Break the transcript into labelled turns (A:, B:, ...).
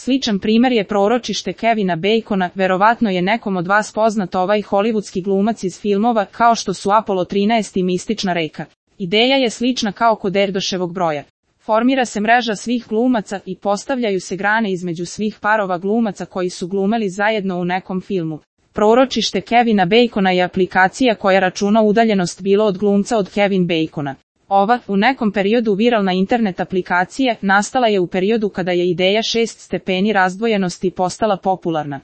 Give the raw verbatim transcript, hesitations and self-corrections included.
A: Sličan primer je Proročište Kevina Bacona, verovatno je nekom od vas poznat ovaj hollywoodski glumac iz filmova kao što su Apollo trinaest i Mistična reka. Ideja je slična kao kod Erdoševog broja. Formira se mreža svih glumaca i postavljaju se grane između svih parova glumaca koji su glumeli zajedno u nekom filmu. Proročište Kevina Bacona je aplikacija koja računa udaljenost bilo od glumca od Kevin Bacona. Ova, u nekom periodu viralna internet aplikacija, nastala je u periodu kada je ideja šest stepeni razdvojenosti postala popularna.